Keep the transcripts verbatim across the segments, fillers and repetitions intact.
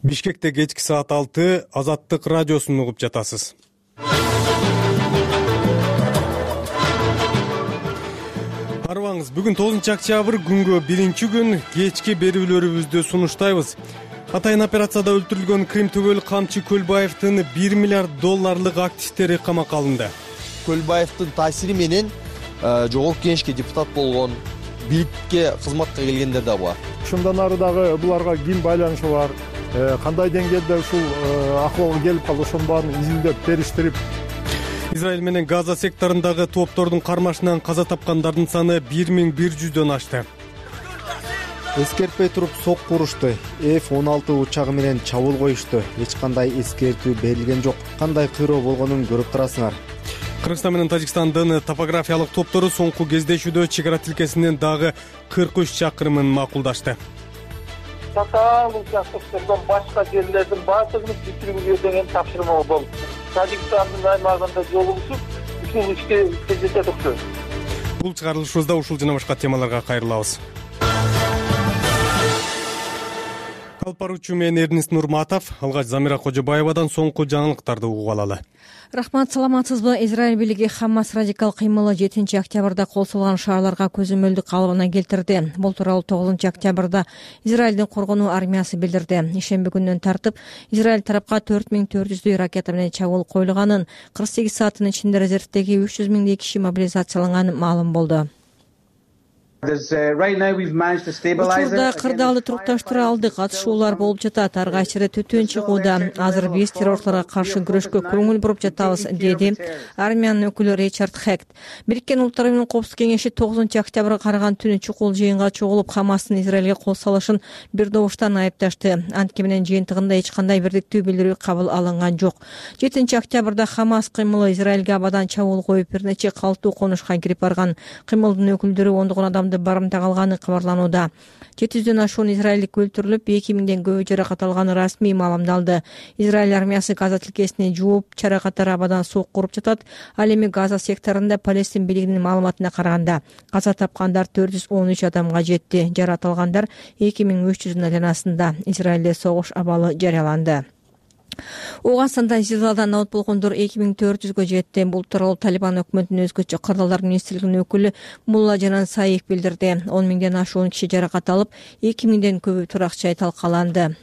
Бишкекте кечки саат алты Азаттык радиосун угуп жатасыз. Арыбаңыз, бүгүн тогузунчу октябрь күнгө биринчи күн кечки берүүлөрүбүздү сунуштайбыз. Атайын операцияда өлтүрүлгөн Крим түгөл Камчы Көлбаевдин бир миллиард долларлык активдери камакка алынды. Көлбаевдин таасири менен жогорку кеңешке депутат болгон, бийликке кызматка келгендер да бар. Ушундан ары дагы буларга ким байланышы бар, кандай деңгээлде ушул акыбалга келип калды, ошонун баарын изилдеп, териштирип. Израиль менен Газа секторундагы топтордун кармашынан каза тапкандардын саны бир миң бир жүздөн ашты. Эскертпей туруп сокку урушты. эф он алты учагы менен чабуул коюшту. Эч кандай эскертүү берилген жок. Кандай кыйроо болгонун көрүп турасыңар. Кыргызстан менен Тажикстандын топографиялык топтору соңку кездешүүдө чек ара тилкесинин дагы кырк үч чакырымын макулдашты. Татаалуу учактыктардан башка жерлердин баардыгын бүтүрүүгө деген тапшырма болду. Тажикстандын аймагында жолугушуп, ушул ишке жетет окшойт. Бул чыгарылышыбызда ушул жана башка темаларга кайрылабыз. Алып баруучу мен Эрнист Нурматов, алгач Замира Кожобаевадан соңку жаңылыктарды угуп алалы. Рахмат, саламатсызбы? Израиль бийлиги Хамас радикал кыймылы жетинчи октябрда кол салган шаарларга көзөмөлдүк калыбына келтирди. Бул тууралуу тогузунчу октябрда Израилдин коргонуу армиясы билдирди. Ишемби күнүнөн тартып Израиль тарапка төрт миң төрт жүздөй ракета менен чабуул коюлганын, кырк сегиз сааттын ичинде резервдеги үч жүз миңдей киши мобилизацияланганы маалым болду. Учурда кырдаалды турукташтыра алдык, атышуулар болуп жатат, ар кайсыра түтүн чыгууда. Азыр биз террорчуларга каршы күрөшкө көңүл буруп жатабыз, деди армиянын өкүлү Ричард Хект. Бириккен Улуттар Уюмунун Коопсуздук кеңеши тогузунчу октябрга караган түнү чукул жыйынга чогулуп, Хамастын Израилге кол салышын бир добуштан айыпташты. Антке менен жыйынтыгында эч кандай бирдиктүү билдирүү кабыл алынган жок. жетинчи октябрда Хамас кыймылы Израилге абадан чабуул коюп, бир нече калктуу конушка кирип барган. Кыймылдын өкүлдөрү ондогон адам барымта калганы кабарланууда. жети жүздөн ашуун израилдик өлтүрүлүп, эки миңден көбү жаракат алганы расмий маалымдалды. Израиль армиясы Газа тилкесини жууп, жаракаттар абадан сокку уруп жатат. Ал эми Газа секторунда Палестин бийлигинин маалыматына караганда каза тапкандар төрт жүз он үч адамга жетти. Жаракат алгандар эки миң үч жүздүн айланасында. Израилде согуш абалы жарыяланды. Ооганстанда зилзаладан абат болгондор эки миң төрт жүзгө жетти. Бул тууралуу Талибан өкмөтүнүн өзгөчө кырдаалдар министрлигинин өкүлү Мулла Жанан Саиев билдирди. он миңден ашуун киши жаракат алып, эки миңден көбү турак жай талкаланды.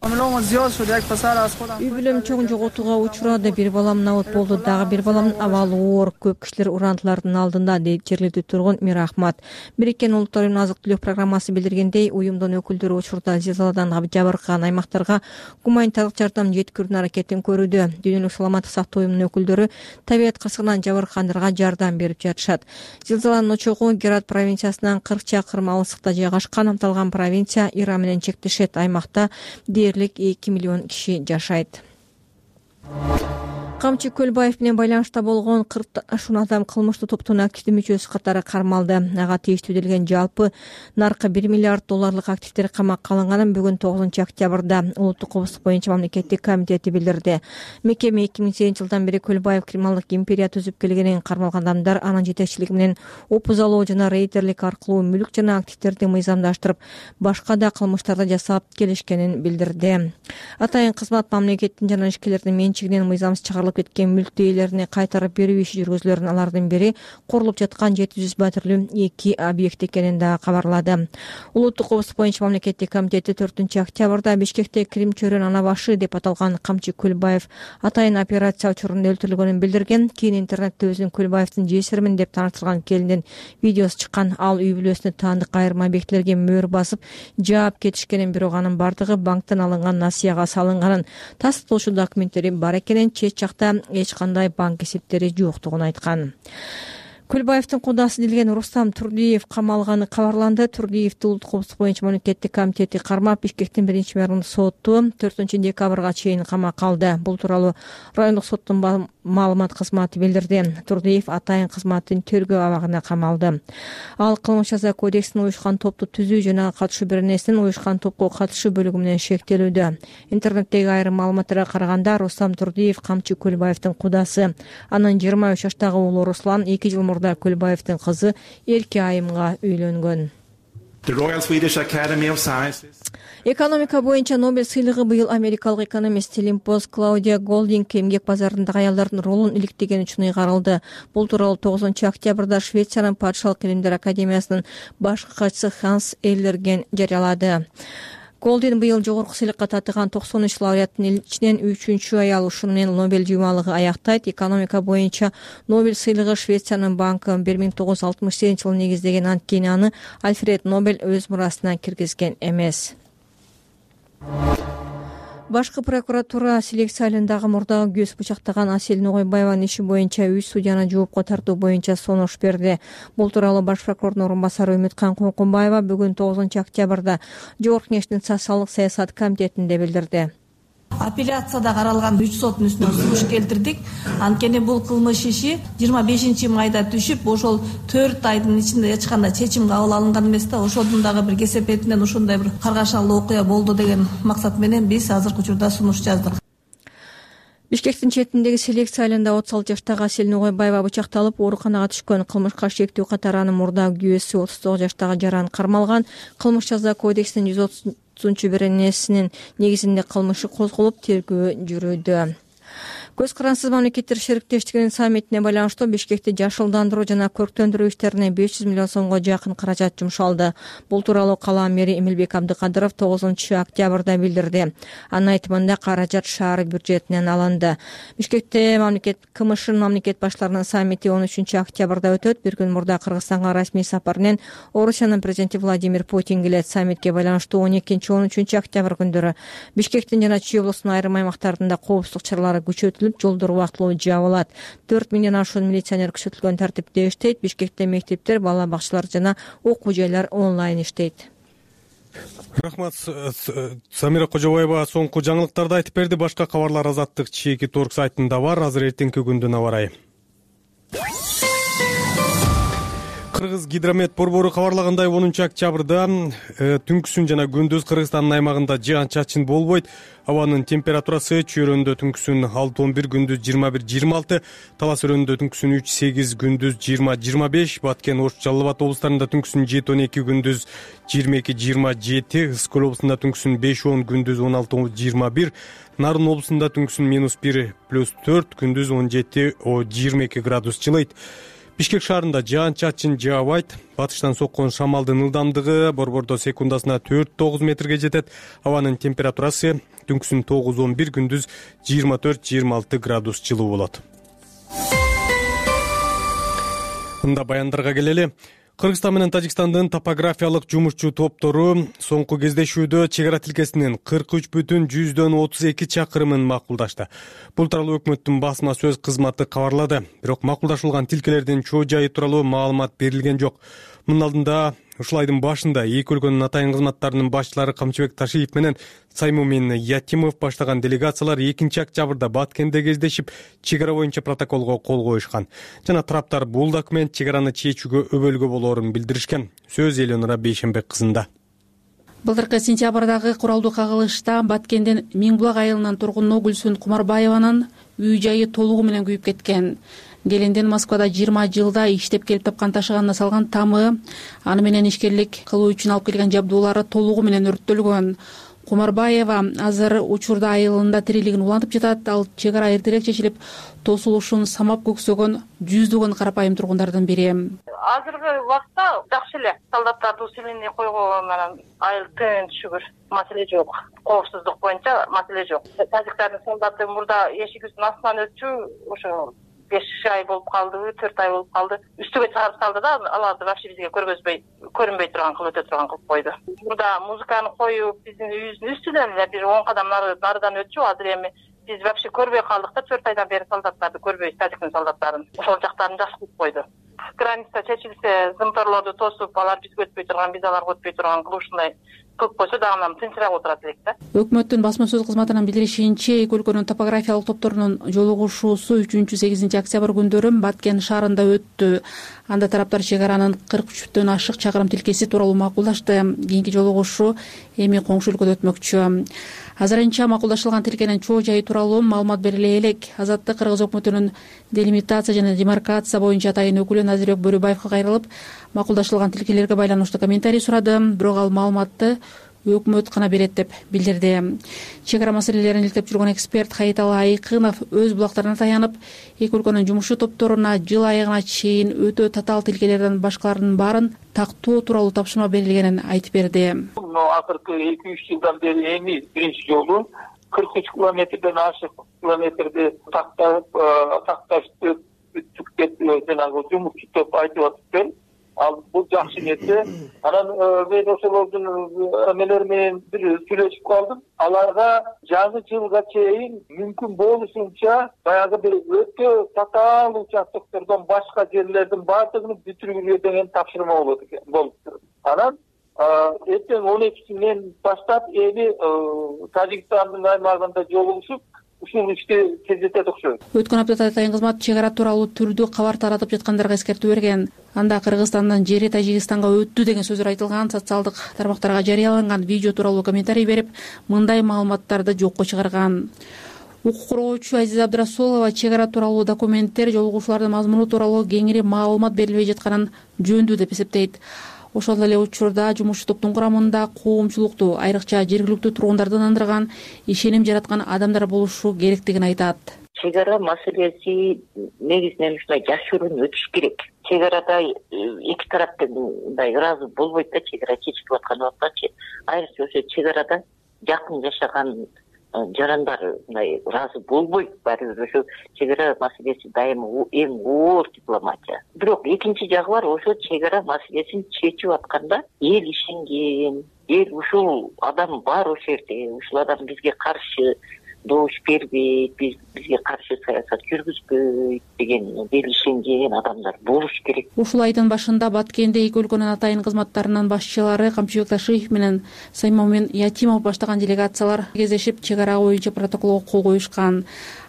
Үй бүлөм чоң жоготууга учурады. Бир балам абат болду, дагы бир баламдын абалы оор. Көп кишилер урантылардын алдында, дейт жергиликтүү тургун Мир Ахмат. Бириккен Улуттар Уюмунун азык түлүк программасы билдиргендей, уюмдун өкүлдөрү учурда зилзаладан жабыркаган аймактарга гуманитардык жардам жеткирүүнүн аракетин көрүүдө. Дүйнөлүк саламаттык сактоо уюмунун өкүлдөрү табият кырсыгынан жабыркагандарга жардам берип жатышат. Зилзаланын очогу Герат провинциясынан кырк чакырым алыстыкта жайгашкан. Аталган провинция Иран менен чектешет. Аймакта эки миллион киши жашайт. Камчы Көлбаев менен байланышта болгон кырк ашуун адам кылмыштуу топтун активдүү мүчөсү катары кармалды. Ага тийиштүү делген жалпы наркы бир миллиард долларлык активдер камакка алынганын бүгүн тогузунчу октябрда Улуттук коопсуздук боюнча мамлекеттик комитети билдирди. Мекеме эки миң сегизинчи жылдан бери Көлбаев криминалдык империя түзүп келгенин, кармалган адамдар анын жетекчилиги менен опузалоо жана рейдерлик аркылуу мүлк жана активдерди мыйзамдаштырып, башка да кылмыштарды жасап келишкенин билдирди. Атайын кызмат мамлекеттин жана ишкерлердин менчигинен мыйзамсыз чыгарылып кеткен мүлк ээлерине кайтарып берүү иши жүргүзүлөрүн, алардын бири курулуп жаткан жети жүз батирлүү эки объект экенин да кабарлады. Улуттук коопсуздук боюнча мамлекеттик комитети төртүнчү октябрда Бишкекте Крим чөйрөнүн ана башы деп аталган Камчы Көлбаев атайын операция учурунда өлтүрүлгөнүн билдирген. Кийин интернетте өзүн Көлбаевдин жесиримин деп тааныштырган келиндин видеосу чыккан. Ал үй бүлөсүнө таандык айрым объектилерге мөөр басып жаап кетишкенин, бирок анын бардыгы банктан алынган насыяга салынганын, тастыктоочу документтери бар экенин, чет жакта эч кандай банк эсептери жоктугун айткан. Көлбаевдин кудасы делген Рустам Турдиев камалганы кабарланды. Турдиевди Улуттук коопсуздук боюнча мамлекеттик комитети кармап, Бишкектин биринчи мэринин соту төртүнчү декабрга чейин камакка алды. Бул тууралуу райондук соттун маалымат кызматы билдирди. Турдиев атайын кызматтын тергөө абагына камалды. Ал кылмыш жаза кодексинин уюшкан топту түзүү жана катышуу беренесинин уюшкан топко катышуу бөлүгү менен шектелүүдө. Интернеттеги айрым маалыматтарга караганда, Рустам Турдиев Камчы Көлбаевдин кудасы. Анын жыйырма үч жаштагы уулу Руслан эки жыл мурда Көлбаевдин кызы Эрке Айымга үйлөнгөн. Экономика боюнча Нобель сыйлыгы быйыл америкалык экономист Лимпос Клаудия Голдинг эмгек базарындагы аялдардын ролун иликтеген үчүн ыйгарылды. Бул тууралуу тогузунчу октябрда Швециянын Падышалык илимдер академиясынын башкы катчысы Ханс Эйлерген жарыялады. Голдин быйыл жогорку сыйлыкка татыган токсон үч лауреаттын ичинен үчүнчү аял. Ушуну менен Нобель жыймалыгы аяктайт. Экономика боюнча Нобель сыйлыгы Швециянын банкы бир миң тогуз жүз алтымыш сегизинчи жылы негиздеген, анткени аны Альфред Нобель өз мурасына киргизген эмес. Башкы прокуратура селекция айылындагы мурдагы күйөөс бычактаган Асель Ногойбаеванын иши боюнча үч судьяны жоопко тартуу боюнча сунуш берди. Бул тууралуу баш прокурордун орун басары Үмүткан Конкунбаева бүгүн тогузунчу октябрда Жогорку Кеңештин социалдык саясат комитетинде билдирди. Апелляцияда каралган үч соттун үстүнөн сунуш келтирдик. Анткени бул кылмыш иши жыйырма бешинчи майда түшүп, ошол төрт айдын ичинде эч кандай чечим кабыл алынган эмес да. Ошодун дагы бир кесепетинен ушундай бир каргашалуу окуя болду деген максат менен биз азыркы учурда сунуш жаздык. Бишкектин четиндеги селекция айылында отуз алты жаштагы Асель Ногойбаева бычакталып ооруканага түшкөн. Кылмышка шектүү катары анын мурдагы күйөөсү отуз тогуз жаштагы Жаран кармалган. Кылмыш жаза кодексинин жүз отузунчу беренесинин негизинде кылмышы козголуп, тергөө жүрүүдө. Көз карансыз мамлекеттер шериктештигинин саммитине байланыштуу Бишкекти жашылдандыруу жана көрктөндүрүү иштерине беш жүз миллион сомго жакын каражат жумшалды. Бул тууралуу кала мэри Эмилбек Абдыкадыров тогузунчу октябрда билдирди. Анын айтымында каражат шаар бюджетинен алынды. Бишкекте мамлекет КМШнын мамлекет баштарынын саммити он үчүнчү октябрда өтөт. Бир күн мурда Кыргызстанга расмий сапар менен Орусиянын президенти Владимир Путин келет. Саммитке байланыштуу он экинчи он үчүнчү октябрь күндөрү Бишкектин жана Чүй облусунун айрым аймактарында коопсуздук чаралары күчөтүлүп, жолдор убактылуу жабылат. төрт миңден ашуун милиционер күчөтүлгөн тартипте иштейт. Бишкекте мектептер, бала бакчалар жана окуу жайлар онлайн иштейт. Рахмат, Самира Кожобаева соңку жаңылыктарды айтып берди. Башка кабарлар Азаттык чеки торг сайтында бар. Азыр эртеңки күндүн аба ырайы. Кыргыз гидромет борбору кабарлагандай онунчу октябрда түнкүсүн жана күндүз Кыргызстандын аймагында жаан-чачын болбойт. Абанын температурасы Чүй-өрөндө түнкүсүн алты он бир, күндүз жыйырма бир жыйырма алты, Талас өрөндө түнкүсүн үч сегиз, күндүз жыйырма жыйырма беш, Баткен, Ош, Жалал Абад облустарында түнкүсүн жети он эки, күндүз жыйырма эки жыйырма жети, Ысык Көл облусунда түнкүсүн беш он, күндүз он алты жыйырма бир, Нарын облусунда түнкүсүн минус бир плюс төрт, күндүз он жети жыйырма эки градус жылыйт. Бишкек шаарында жаан-чачын жаабайт. Батыштан соккон шамалдын ылдамдыгы борбордо секундасына төрт тогуз метрге жетет. Абанын температурасы түнкүсүн тогуз он бир, күндүз жыйырма төрт жыйырма алты градус жылуу болот. Мында баяндарга келели. Кыргызстан менен Тажикстандын топографиялык жумушчу топтору соңку кездешүүдө чек ара тилкесинин кырк үч бүтүн жүздөн отуз эки чакырымын макулдашты. Бул тууралуу өкмөттүн басма сөз кызматы кабарлады. Бирок макулдашылган тилкелердин чоо жайы тууралуу маалымат берилген жок. Мунун алдында ушул айдын башында эки өлкөнүн атайын кызматтарынын башчылары Камчыбек Ташиев менен Саймумин Ятимов баштаган делегациялар экинчи октябрда Баткенде кездешип, чек ара боюнча протоколго кол коюшкан. Жана тараптар бул документ чек араны чечүүгө өбөлгө болоорун билдиришкен. Сөз Элеонора Бейшенбек кызында. Былтыркы сентябрдагы куралдуу кагылышта Баткенден Миңбулак айылынын тургуну Гүлсүн Кумарбаеванын үй жайы толугу менен күйүп кеткен. Келиндин Москвада жыйырма жылда иштеп келип тапкан ташыганына салган тамы, аны менен ишкерлик кылуу үчүн алып келген жабдуулары толугу менен өрттөлгөн. Кумарбаева азыр учурда айылында тирилигин улантып жатат. Ал чек ара эртерээк чечилип, тосулушун самап көксөгөн жүздөгөн карапайым тургундардын бири. Азыркы убакта жакшы эле. Солдаттарды усиление койгон менен айыл тынч, шүгүр, маселе жок. Коопсуздук боюнча маселе жок. Тажиктардын солдаты мурда эшигибиздин астынан өтчү, ошо беш ай болуп калды, төрт ай болуп калды. Үстүгө чыгарып салды да, аларды вообще бизге көргөзбөй, көрүнбөй турган кылып өтө турган кылып койду. Мурда музыканы коюп, биздин үйүбүздүн үстүнөн эле бир он кадам нарыдан өтчү. Азыр эми биз вообще көрбөй калдык да, төрт айдан бери солдаттарды көрбөйбүз, тажиктин солдаттарын. Ошол жактарын жакшы кылып койду. Граница чечилсе, зымторлорду тосуп, алар бизге өтпөй турган, биз аларга өтпөй турган кылып ушундай кылып койсо дагы тынчыраак отурат элек да. Өкмөттүн басма сөз кызматынын билдиришинче, эки өлкөнүн топографиялык топторунун жолугушуусу үчүнчү сегизинчи октябрь күндөрү Баткен шаарында өттү. Анда тараптар чек аранын кырк үчтөн ашык чакырым тилкеси тууралуу макулдашты. Кийинки жолугушуу эми коңшу өлкөдө өтмөкчү. Азырынча макулдашылган тилкенин чоо жайы тууралуу маалымат бериле элек. Азаттык Кыргыз өкмөтүнүн делимитация жана демаркация боюнча атайын өкүлү Назирбек Бөрүбаевга кайрылып, макулдашылган тилкелерге байланыштуу комментарий сурады. Бирок ал маалыматты өкмөт гана берет деп билдирди. Чек ара маселелерин иликтеп жүргөн эксперт Хаиталы Айкынов өз булактарына таянып, эки өлкөнүн жумушчу топторуна жыл айыгына чейин өтө татаал тилкелерден башкалардын баарын тактоо тууралуу тапшырма берилгенин айтып берди. Акыркы эки үч жылдан бери эми биринчи жолу кырк үч километрден ашык километрди тактап такташты бүттүк жанагы жумушчу топ айтып атыптыр. Ал бул жакшы нерсе. Анан мен ошолордун эмелери менен бир сүйлөшүп калдым. Аларга жаңы жылга чейин мүмкүн болушунча баягы бир өтө татаал участоктордон башка жерлердин баардыгын бүтүргүлө деген тапшырма болот экен болуптур. Анан эртең он экисинен баштап эми Тажикстандын аймагында жолугушуп ушул ишти тездетет окшойт. Өткөн аптада Атайын кызмат чек ара тууралуу түрдүү кабар таратып жаткандарга эскертүү берген. Анда Кыргызстандын жери Тажикстанга өттү деген сөздөр айтылган, социалдык тармактарга жарыяланган видео тууралуу комментарий берип, мындай маалыматтарды жокко чыгарган. Укук коргоочу Азиза Абдрасулова чек ара тууралуу документтер, жолугушуулардын мазмуну тууралуу кеңири маалымат берилбей жатканын жөндүү деп эсептейт. Ошол эле учурда жумушчу топтун курамында коомчулукту, айрыкча жергиликтүү тургундарды ынандырган, ишеним жараткан адамдар болушу керектигин айтат. Чек ара маселеси негизинен ушундай жашыруун өтүш керек. Чек арада эки тараптын мындай ыраазы болбойт да, чек ара чечилип аткан убактачы. Айрыкча ошо чек арада жакын жашаган жарандар мындай ыраазы болбойт. Баары бир ошо чек ара маселеси дайыма эң оор дипломатия. Бирок экинчи жагы бар, ошо чек ара маселесин чечип атканда эл ишенген, эл ушул адам бар ошол жерде, ушул адам бизге каршы добуш бербейт, биз бизге каршы саясат жүргүзбөйт деген эл ишенген адамдар болуш керек. Ушул айдын башында Баткенде эки өлкөнүн атайын кызматтарынын башчылары Камчыбек Ташиев менен Саймомин Ятимов баштаган делегациялар кездешип, чек ара боюнча протоколго кол коюшкан.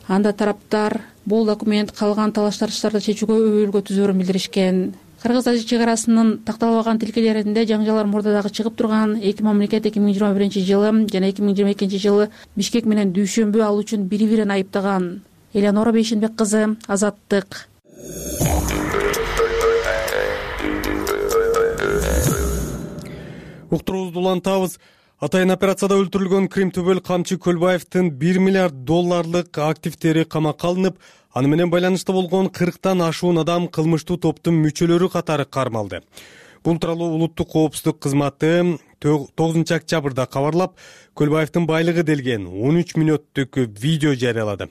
Анда тараптар бул документ калган талаш-тартыштарды чечүүгө өбөлгө түзөөрүн билдиришкен. Кыргыз-Тажик чек арасынын такталбаган тилкелеринде жаңжалар мурда дагы чыгып турган. Эки мамлекет эки миң жыйырма биринчи жылы жана эки миң жыйырма экинчи жылы Бишкек менен Дүйшөмбү ал үчүн бири-бирин айыптаган. Элеонора Бейшенбек кызы, Азаттык. Уктуруубузду улантабыз. Атайын операцияда өлтүрүлгөн Крим Төбөл Камчы Көлбаевдин бир миллиард долларлык активдери камакка алынып, аны менен байланышта болгон кырктан ашуун адам кылмыштуу топтун мүчөлөрү катары кармалды. Бул тууралуу улуттук коопсуздук кызматы тогузунчу октябрда кабарлап, Көлбаевдин байлыгы делген он үч мүнөттүк видео жарыялады.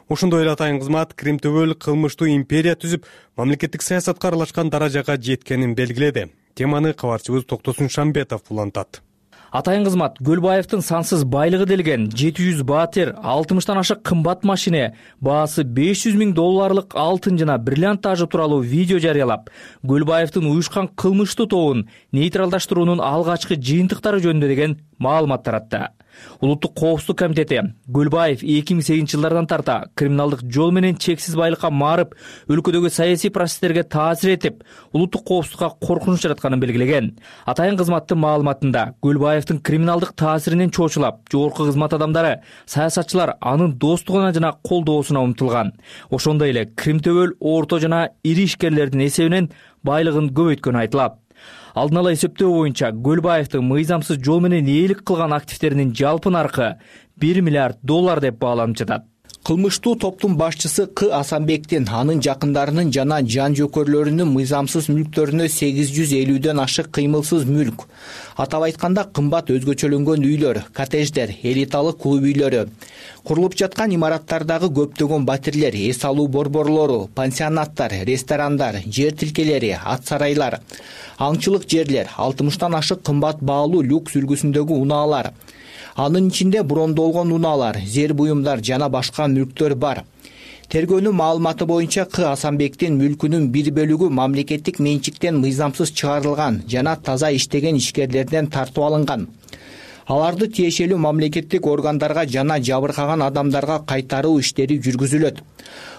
Ошондой эле атайын кызмат Крим Төбөл кылмыштуу империя түзүп, мамлекеттик саясатка аралашкан даражага жеткенин белгиледи. Теманы кабарчыбыз Токтосун Шамбетов улантат. Атайын кызмат Көлбаевдин сансыз байлыгы делген жети жүз баатер, алтымыштан ашык кымбат машине, баасы беш жүз миң долларлык алтын жана бриллиант тажы тууралуу видео жарыялап, Көлбаевдин уюшкан кылмыштуу тобун нейтралдаштыруунун алгачкы жыйынтыктары жөнүндө деген маалымат таратты. Улуттук коопсуздук комитети Көлбаев эки миң сегизинчи жылдардан тарта криминалдык жол менен чексиз байлыкка марып, өлкөдөгү саясий процесстерге таасир этип, улуттук коопсуздукка коркунуч жаратканын белгилеген. Атайын кызматтын маалыматында Көлбаевдин криминалдык таасиринен чочулап, жогорку кызмат адамдары, саясатчылар анын достугуна жана колдоосуна умтулган. Ошондой эле Крим Төбөл орто жана ири ишкерлердин эсебинен байлыгын көбөйткөнү айтылат. Алдын ала эсептөө боюнча Көлбаевдин мыйзамсыз жол менен ээлик кылган активдеринин жалпы наркы бир миллиард доллар деп бааланып жатат. Кылмыштуу топтун башчысы К Асанбектин, анын жакындарынын жана жан жөкөрлөрүнүн мыйзамсыз мүлктөрүнө сегиз жүз элүүдөн ашык кыймылсыз мүлк, атап айтканда кымбат өзгөчөлөнгөн үйлөр, коттедждер, элиталык клуб үйлөрү, курулуп жаткан имараттардагы көптөгөн батирлер, эс алуу борборлору, пансионаттар, ресторандар, жер тилкелери, ат сарайлар, аңчылык жерлер, алтымыштан ашык кымбат баалуу люкс үлгүсүндөгү унаалар, анын ичинде брондолгон унаалар, зер буюмдар жана башка мүлктөр бар. Тергөөнүн маалыматы боюнча К Асанбектин мүлкүнүн бир бөлүгү мамлекеттик менчиктен мыйзамсыз чыгарылган жана таза иштеген ишкерлерден тартып алынган. Аларды тиешелүү мамлекеттик органдарга жана жабыркаган адамдарга кайтаруу иштери жүргүзүлөт.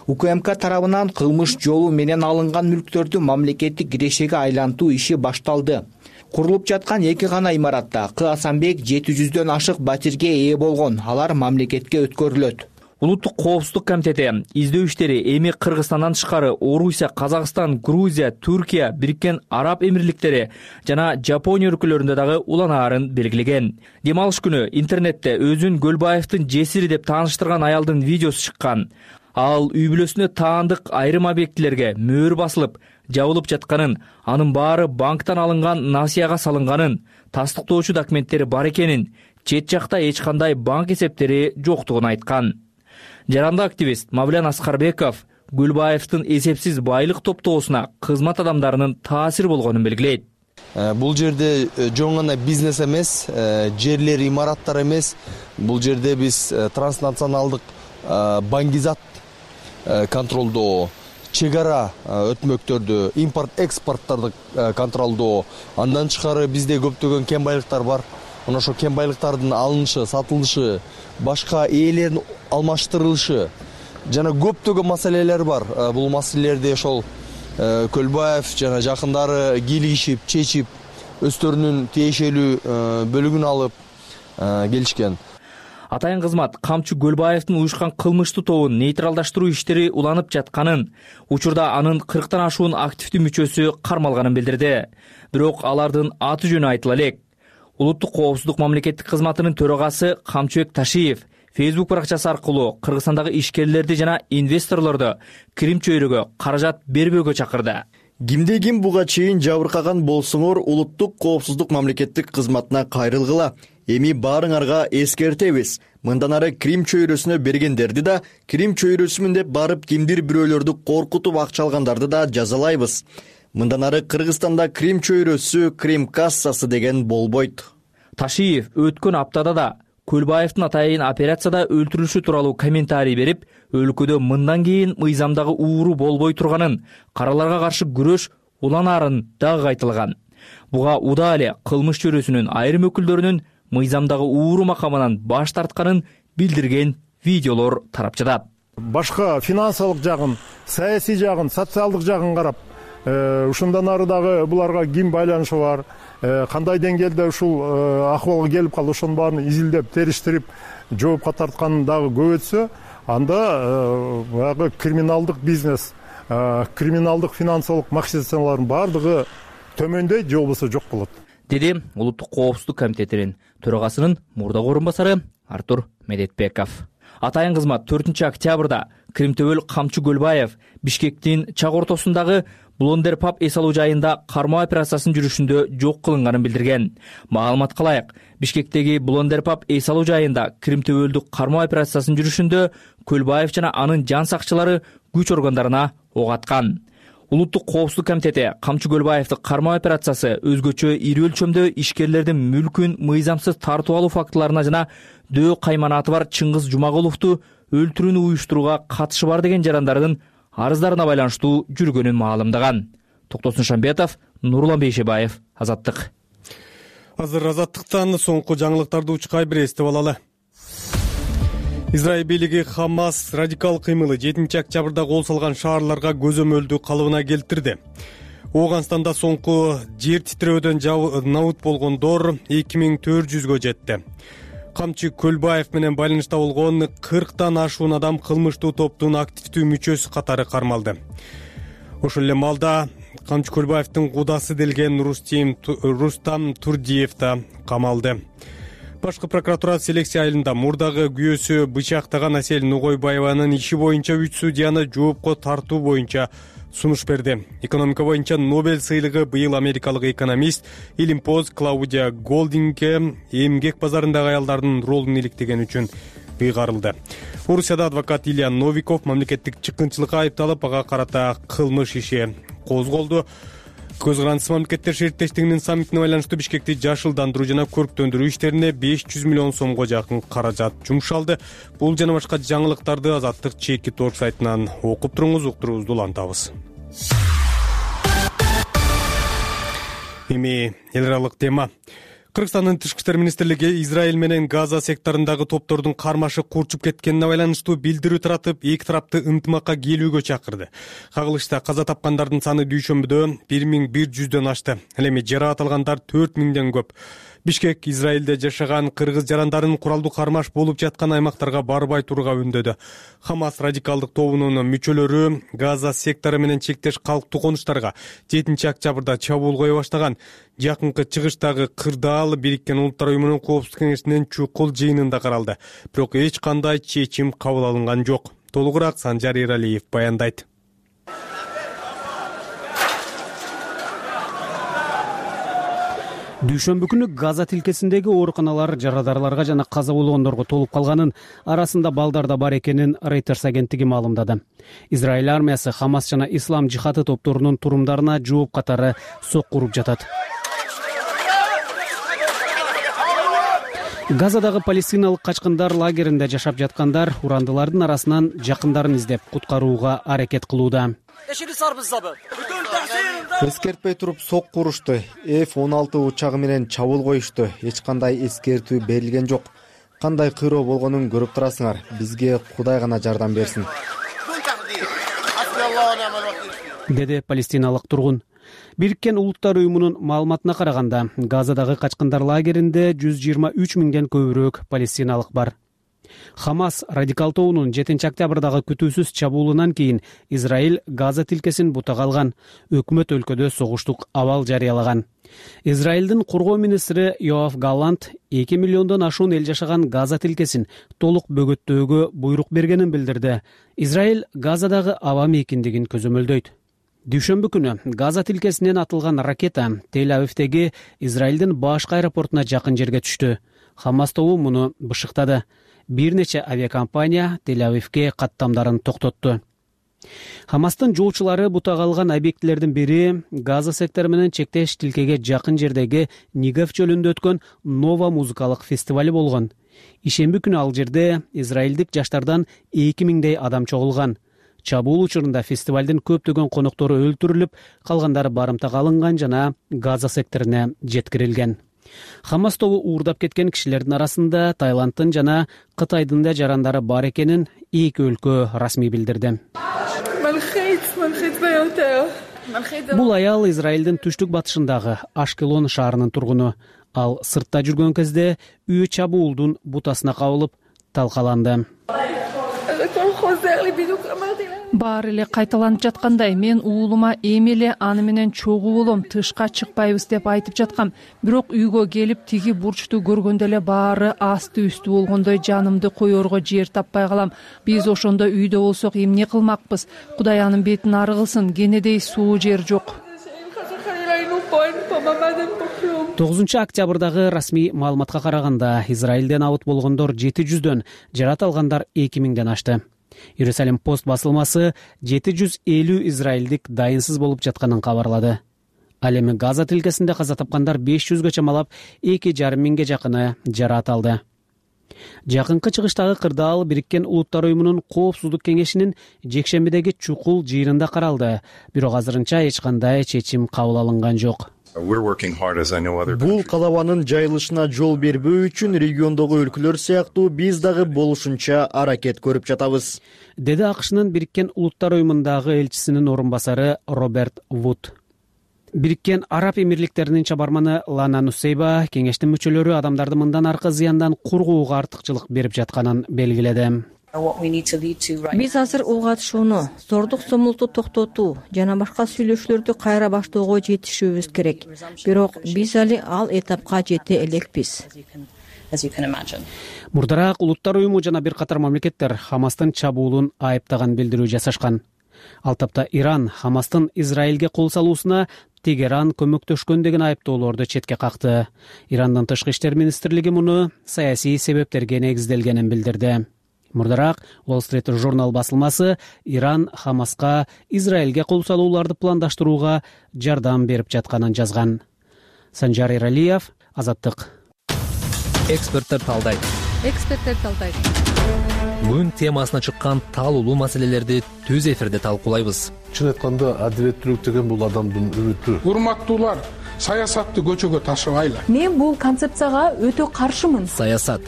УКМК тарабынан кылмыш жолу менен алынган мүлктөрдү мамлекеттик кирешеге айлантуу иши башталды. Курулуп жаткан эки гана имаратта К Асанбек жети жүздөн ашык батирге ээ болгон, алар мамлекетке өткөрүлөт. Улуттук коопсуздук комитети издөө иштери эми Кыргызстандан тышкары Орусия, Казакстан, Грузия, Түркия, Бириккен Араб Эмирликтери жана Жапония өлкөлөрүндө дагы уланаарын белгилеген. Дем алыш күнү интернетте өзүн Көлбаевдин жесири деп тааныштырган аялдын видеосу чыккан. Ал үй бүлөсүнө таандык айрым объектилерге мөөр басылып, жабылып жатканын, анын баары банктан алынган насыяга салынганын, тастыктоочу документтери бар экенин, чет жакта эч кандай банк эсептери жоктугун айткан. Жарандык активист Мавлян Аскарбеков Көлбаевдин эсепсиз байлык топтоосуна кызмат адамдарынын таасир болгонун белгилейт. Бул жерде жөн гана бизнес эмес, жерлер, имараттар эмес. Бул жерде биз транснационалдык баңгизат контролдоо, чек ара өтмөктөрдү, импорт экспорттарды контролдоо, андан тышкары бизде көптөгөн кен байлыктар бар. Мына ошо кен байлыктардын алынышы, сатылышы, башка ээлердин алмаштырылышы жана көптөгөн маселелер бар. Бул маселелерди ошол Көлбаев жана жакындары кийлигишип, чечип, өздөрүнүн тиешелүү бөлүгүн алып келишкен. Атайын кызмат камчы Көлбаевдин уюшкан кылмыштуу тобун нейтралдаштыруу иштери уланып жатканын, учурда анын кырктан ашуун активдүү мүчөсү кармалганын билдирди. Бирок алардын аты жөнү айтыла элек. Улуттук коопсуздук мамлекеттик кызматынын төрагасы Камчыбек Ташиев Facebook баракчасы аркылуу Кыргызстандагы ишкерлерди жана инвесторлорду Крим чөйрөгө каражат бербөөгө чакырды. Кимде ким буга чейин жабыркаган болсоңор улуттук коопсуздук мамлекеттик кызматына кайрылгыла. Эми баарыңарга эскертебиз. Мындан ары Крим чөйрөсүнө бергендерди да, Крим чөйрөсүмүн деп барып кимдир бирөөлөрдү коркутуп акча алгандарды да жазалайбыз. Мындан ары Кыргызстанда Крим чөйрөсү, Крим кассасы деген болбойт. Ташиев өткөн аптада да Көлбаевдин атайын операцияда өлтүрүлүшү тууралуу комментарий берип, өлкөдө мындан кийин мыйзамдагы ууру болбой турганын, караларга каршы күрөш уланаарын дагы айтылган. Буга удаа эле кылмыш чөйрөсүнүн айрым өкүлдөрүнүн мыйзамдагы ууру макамынан баш тартканын билдирген видеолор тарап жатат. Башка финансылык жагын, саясий жагын, социалдык жагын карап, ушундан ары дагы буларга ким байланышы бар, кандай деңгээлде ушул акыбалга келип калды, ошонун баарын изилдеп, териштирип, жоопко тарткан дагы көбөйтсө, анда баягы криминалдык бизнес, криминалдык финансылык махинациялардын баардыгы төмөндөйт же болбосо жок болот, деди Улуттук коопсуздук комитетинин төрагасынын мурдагы орун басары Артур Медетбеков. Атайын кызмат төртүнчү октябрда Кримтөбөл Камчы Көлбаев Бишкектин чак ортосундагы Блондер паб эс алуу жайында кармоо операциясынын жүрүшүндө жок кылынганын билдирген. Маалыматка ылайык, Бишкектеги Блондер паб эс алуу жайында Кримтөбөлдүк кармоо операциясынын жүрүшүндө Көлбаев жана анын жан сакчылары күч органдарына ок аткан. Улуттук коопсуздук комитети Камчы Көлбаевдин кармоо операциясы өзгөчө ири өлчөмдө ишкерлердин мүлкүн мыйзамсыз тартып алуу фактыларына жана дөө кайманаты бар Чыңгыз Жумагуловду өлтүрүүнү уюштурууга катышы бар деген жарандардын арыздарына байланыштуу жүргөнүн маалымдаган. Токтосун Шамбетов, Нурлан Бейшебаев, Азаттык. Азыр Азаттыктан соңку жаңылыктарды учкай бир эстеп алалы. Израиль бийлиги Хамас радикал кыймылы жетинчи октябрда кол салган шаарларга көзөмөлдүү калыбына келтирди. Ооганстанда соңку жер титирөөдөн набут болгондор эки миң төрт жүзгө жетти. Камчы Көлбаев менен байланышта болгон кырктан ашуун адам кылмыштуу топтун активдүү мүчөсү катары кармалды. Ошол эле маалда Камчы Көлбаевдин кудасы делген Рустам Турдиев да камалды. Башкы прокуратура селекция айылында мурдагы күйөөсү бычактаган Асель Нугойбаеванын иши боюнча үч судьяны жоопко тартуу боюнча сунуш берди. Экономика боюнча Нобель сыйлыгы быйыл америкалык экономист Илимпоз Клаудия Голдингке эмгек базарындагы аялдардын ролун иликтеген үчүн ыйгарылды. Орусияда адвокат Илья Новиков мамлекеттик чыккынчылыкка айыпталып, ага карата кылмыш иши козголду. Көз карандысыз мамлекеттер шериктештигинин саммитине байланыштуу Бишкекти жашылдандыруу жана көрктөндүрүү иштерине беш жүз миллион сомго жакын каражат жумшалды. Бул жана башка жаңылыктарды Азаттык чеки торг сайтынан окуп туруңуз, уктуруубузду улантабыз. Эми эл аралык тема. Кыргызстандын тышкы иштер министрлиги Израиль менен Газа секторундагы топтордун кармашы курчуп кеткенине байланыштуу билдирүү таратып, эки тарапты ынтымакка келүүгө чакырды. Кагылышта каза тапкандардын саны дүйшөмбүдө бир миң бир жүздөн ашты. Ал эми жаракат алгандар төрт миңден көп. Бишкек Израилде жашаган кыргыз жарандарын куралдуу кармаш болуп жаткан аймактарга барбай турууга үндөдү. Хамас радикалдык тобунун мүчөлөрү Газа сектору менен чектеш калктуу конуштарга жетинчи октябрда чабуул кое баштаган. Жакынкы чыгыштагы кырдаал Бириккен Улуттар уюмунун Коопсуздук кеңешинин чукул жыйынында каралды. Бирок эч кандай чечим кабыл алынган жок. Толугураак Санжар Эралиев баяндайт. Дүйшөмбү күнү Газа тилкесиндеги ооруканалар жарадарларга жана каза болгондорго толуп калганын, арасында балдар да бар экенин Reuters агенттиги маалымдады. Израиль армиясы Хамас жана Ислам жихаты топторунун турумдарына жооп катары сокку уруп жатат. Газадагы палестиналык качкындар лагеринде жашап жаткандар урандылардын арасынан жакындарын издеп куткарууга аракет кылууда. Эскертпей туруп сокку урушту. эф он алты учагы менен чабуул коюшту. Эч кандай эскертүү берилген жок. Кандай кыйроо болгонун көрүп турасыңар. Бизге Кудай гана жардам берсин, деди палестиналык тургун. Бириккен Улуттар уюмунун маалыматына караганда, Газадагы качкындар лагеринде жүз жыйырма үч миңден көбүрөөк палестиналык бар. Хамас радикал тобунун жетинчи октябрдагы күтүүсүз чабуулунан кийин Израиль Газа тилкесин бутага алган, өкмөт өлкөдө согуштук абал жарыялаган. Израилдин коргоо министри Йоав Галлант эки миллиондон ашуун эл жашаган Газа тилкесин толук бөгөттөөгө буйрук бергенин билдирди. Израиль Газадагы аба мейкиндигин көзөмөлдөйт. Дүйшөмбү күнү Газа тилкесинен атылган ракета Тель-Авивдеги Израилдин башкы аэропортуна жакын жерге түштү. Хамас тобу муну бышыктады. Бир нече авиакомпания Тель-Авивге каттамдарын токтотту. Хамастын жоочулары бутага алган объектилердин бири Газа сектору менен чектеш тилкеге жакын жердеги Нигев чөлүндө өткөн Нова музыкалык фестивали болгон. Ишемби күнү ал жерде израилдик жаштардан эки миңдей адам чогулган. Чабуул учурунда фестивалдын көптөгөн коноктору өлтүрүлүп, калгандары барымтага алынган жана Газа секторуна жеткирилген. Хамас тобу уурдап кеткен кишилердин арасында Таиланддын жана Кытайдын да жарандары бар экенин эки өлкө расмий билдирди. Бул аял Израилдин түштүк батышындагы Ашкелон шаарынын тургуну. Ал сыртта жүргөн кезде үй чабуулдун бутасына кабылып талкаланды. Баары эле кайталанып жаткандай, мен уулума эми эле аны менен чогуу болом, тышка чыкпайбыз деп айтып жаткам. Бирок үйгө келип тиги бурчту көргөндө эле баары асты үстү болгондой жанымды коерго жер таппай калам. Биз ошондо үйдө болсок эмне кылмакпыз? Кудай анын бетин ары кылсын, кенедей суу жер жок. тогузунчу октябрдагы расмий маалыматка караганда, Израилден абыт болгондор жети жүздөн, жарат алгандар эки миңден ашты. Иерусалим пост басылмасы жети жүз элүү израилдик дайынсыз болуп жатканын кабарлады. Ал эми Газа тилкесинде каза тапкандар беш жүзгө чамалап, эки жарым миңге жакыны жарат алды. Жакынкы чыгыштагы кырдаал Бириккен Улуттар уюмунун Коопсуздук кеңешинин жекшембидеги чукул жыйынында каралды. Бирок азырынча эч кандай чечим кабыл алынган жок. Бул калабанын жайылышына жол бербөө үчүн региондогу өлкөлөр сыяктуу биз дагы болушунча аракет көрүп жатабыз, деди АКШнын Бириккен Улуттар уюмундагы элчисинин орун басары Роберт Вуд. Бириккен Араб Эмирликтеринин чабарманы Лана Нусейба кеңештин мүчөлөрү адамдарды мындан аркы зыяндан коргоого артыкчылык берип жатканын белгиледи. Биз азыр ого атышууну, зордук зомулукту токтотуу жана башка сүйлөшүүлөрдү кайра баштоого жетишүүбүз керек. Бирок биз али ал этапка жете элекпиз. Мурдараак Улуттар уюму жана бир катар мамлекеттер Хамастын чабуулун айыптаган билдирүү жасашкан. Ал тапта Иран Хамастын Израилге кол салуусуна Тегеран көмөктөшкөн деген айыптоолорду четке какты. Ирандын тышкы иштер министрлиги муну саясий себептерге негизделгенин билдирди. Мурдараак Wall Street Journal басылмасы Иран Хамаска Израилге кол салууларды пландаштырууга жардам берип жатканын жазган. Санжар Эралиев, Азаттык. Эксперттер талдайт. Эксперттер талдайт. Күн темасына чыккан талуулуу маселелерди түз эфирде талкуулайбыз. Чын айтканда адилеттүүлүк деген бул адамдын үмүтү. Урматтуулар, саясатты көчөгө ташыбайлы. Мен бул концепцияга өтө каршымын. Саясат,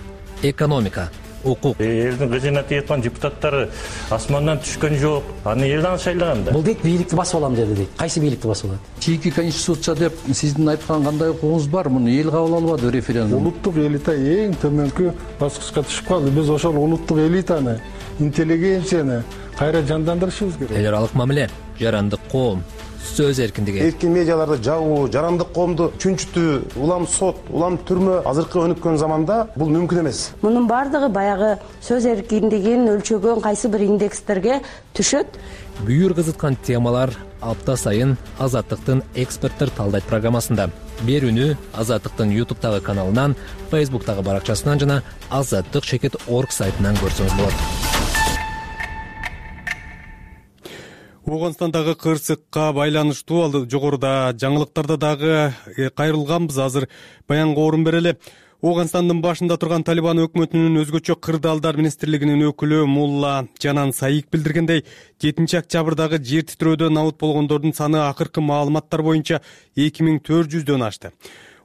экономика, укук. Элдин кызына тийаткан депутаттары асмандан түшкөн жок. Аны эл дагы шайлаган да. Бул дейт бийликти басып алам деди дейт. Кайсы бийликти басып алат? Чийки конституция деп сиздин айткан кандай укугуңуз бар? Муну эл кабыл албады референдум. Улуттук элита эң төмөнкү баскычка түшүп калды. Биз ошол улуттук элитаны, интеллигенцияны кайра жандандырышыбыз керек. Эл аралык мамиле, жарандык коом, сөз эркиндиги. Эркин медиаларды жабуу, жарандык коомду чүнчүтүү, улам сот, улам түрмө азыркы өнүккөн заманда бул мүмкүн эмес. Мунун бардыгы баягы сөз эркиндигин өлчөгөн кайсы бир индекстерге түшөт. Бүйүр кызыткан темалар апта сайын Азаттыктын эксперттер талдайт программасында. Берүүнү Азаттыктын ютубтагы каналынан, фейсбуктагы баракчасынан жана азаттык чекит точка орг сайтынан көрсөңүз болот. Ооганстандагы кырсыкка байланыштуу ал жогоруда жаңылыктарда дагы кайрылганбыз. Азыр баянга орун берели. Ооганстандын башында турган Талибан өкмөтүнүн өзгөчө кырдаалдар министрлигинин өкүлү Мулла Жанан Саик билдиргендей, жетинчи октябрдагы жер титрөөдөн абут болгондордун саны акыркы маалыматтар боюнча эки миң төрт жүздөн ашты.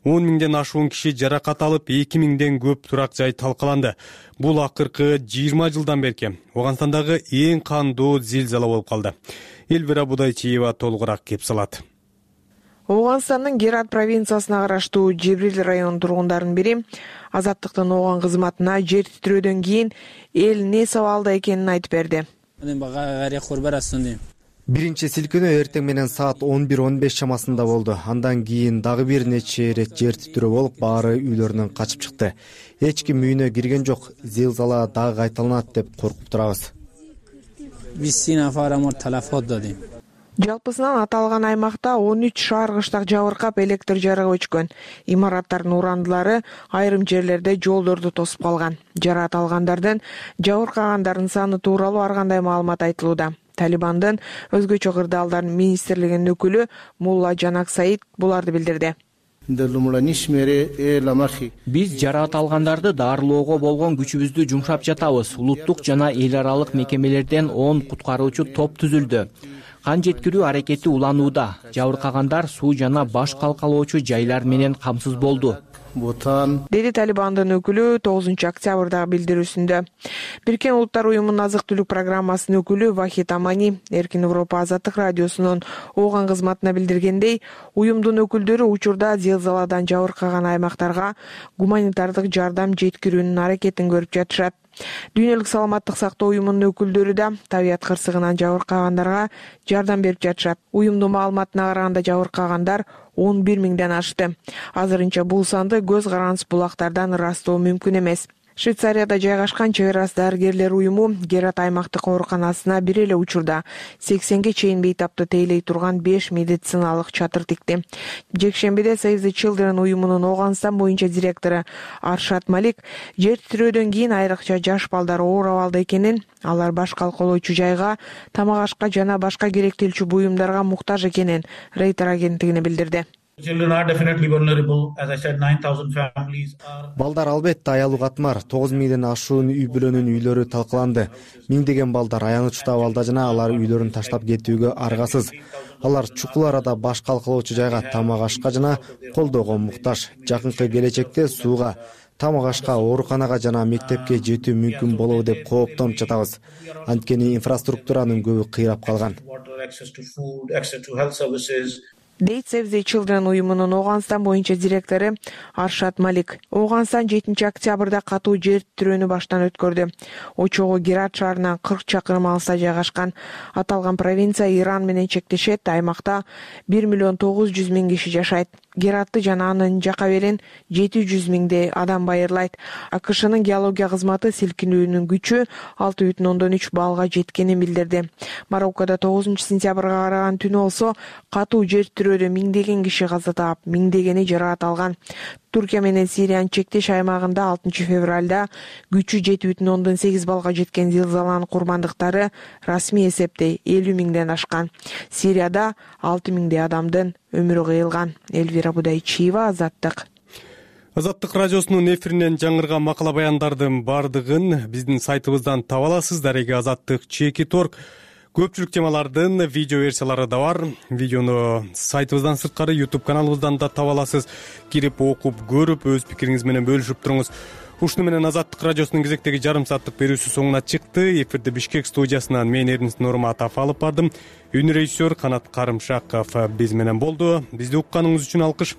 он миңден ашуун киши жаракат алып, эки миңден көп турак жай талкаланды. Бул акыркы жыйырма жылдан берки Ооганстандагы эң кандуу зилзала болуп калды. Элвира Будайчиева толугураак кеп салат. Ооганстандын Герат провинциясына караштуу Жебрил районунун тургундарынын бири Азаттыктын Ооган кызматына жер титрөөдөн кийин эл эмне сабалда экенин айтып берди. Биринчи силкинөө эртең менен саат он бир он беш чамасында болду. Андан кийин дагы бир нече ирет жер титрөө болуп, баары үйлөрүнөн качып чыкты. Эч ким үйүнө кирген жок. Зилзала дагы кайталанат деп коркуп турабыз. Жалпысынан аталган аймакта он үч шаар кыштак жабыркап, электр жарыгы өчкөн. Имараттардын урандылары айрым жерлерде жолдорду тосуп калган. Жараат алгандардын, жабыркагандардын саны тууралуу ар кандай маалымат айтылууда. Талибандын өзгөчө кырдаалдар министрлигинин өкүлү Мулла Жанак Саид буларды билдирди. Биз жараат алгандарды дарылоого болгон күчүбүздү жумшап жатабыз. Улуттук жана эл аралык мекемелерден он куткаруучу топ түзүлдү. Кан жеткирүү аракети уланууда. Жабыркагандар суу жана баш калкалоочу жайлар менен камсыз болду, деди Талибандын өкүлү тогузунчу октябрдагы билдирүүсүндө. Бириккен Улуттар уюмунун азык түлүк программасынын өкүлү Вахид Амани Эркин Европа азаттык радиосунун Ооган кызматына билдиргендей, уюмдун өкүлдөрү учурда зилзаладан жабыркаган аймактарга гуманитардык жардам жеткирүүнүн аракетин көрүп жатышат. Дүйнөлүк саламаттык сактоо уюмунун өкүлдөрү да табият кырсыгынан жабыркагандарга жардам берип жатышат. Уюмдун маалыматына караганда жабыркагандар он бир миңден ашты. Азырынча бул санды көз карандысыз булактардан ырастоо мүмкүн эмес. Швейцарияда жайгашкан чек арасы дарыгерлер уюму Герат аймактык ооруканасына бир эле учурда сексенге чейин бейтапты тейлей турган беш медициналык чатыр тикти. Жекшембиде Save the Children уюмунун Ооганстан боюнча директору Аршат Малик жер титрөөдөн кийин айрыкча жаш балдар оор абалда экенин, алар баш калкалоочу жайга, тамак ашка жана башка керектелчү буюмдарга муктаж экенин Рейтер агенттигине билдирди. Балдар албетте аялуу катмар. тогуз миңден ашуун үй бүлөнүн үйлөрү талкаланды. Миңдеген балдар аянычтуу абалда жана алар үйлөрүн таштап кетүүгө аргасыз. Алар чукул арада баш калкалоочу жайга, тамак ашка жана колдоого муктаж. Жакынкы келечекте сууга, тамак ашка, ооруканага жана мектепке жетүү мүмкүн болобу деп кооптонуп жатабыз. Анткени инфраструктуранын көбү кыйрап калган. дейт Save the Children уюмунун Ооганстан боюнча директору Аршат Малик. Ооганстан жетинчи октябрда катуу жер титрөөнү баштан өткөрдү. Очогу Герат шаарынан кырк чакырым алыста жайгашкан. Аталган провинция Иран менен чектешет. Аймакта бир миллион тогуз жүз миң киши жашайт. Гератты жана анын жака берин жети жүз миңдей адам байырлайт. АКШнын геология кызматы силкинүүнүн күчү алты бүтүн ондон үч баллга жеткенин билдирди. Мароккодо тогузунчу сентябрга караган түнү болсо катуу жер титрөөдө миңдеген киши каза таап, миңдегени жараат алган. Туркия менен Сириянын чектеш аймагында алтынчы февралда күчү жети бүтүн ондон сегиз баллга жеткен зилзаланын курбандыктары расмий эсепте элүү миңден ашкан. Сирияда алты миңдей адамдын өмүрү кыйылган. Элвира Будайчиева, Азаттык. Азаттык радиосунун эфиринен жаңырган макала баяндардын бардыгын биздин сайтыбыздан таба аласыз. Дареги азаттык чекит точка орг. Көпчүлүк темалардын видео версиялары да бар. Видеону сайтыбыздан сырткары YouTube каналыбыздан да таба аласыз. Кирип окуп, көрүп, өз пикириңиз менен бөлүшүп туруңуз. ушуну менен Азаттык радиосунун кезектеги жарым сааттык берүүсү соңуна чыкты. Эфирди Бишкек студиясынан мен Эрнис Нурматов алып бардым. Үн режиссер Канат Карымшаков биз менен болду. Бизди укканыңыз үчүн алкыш.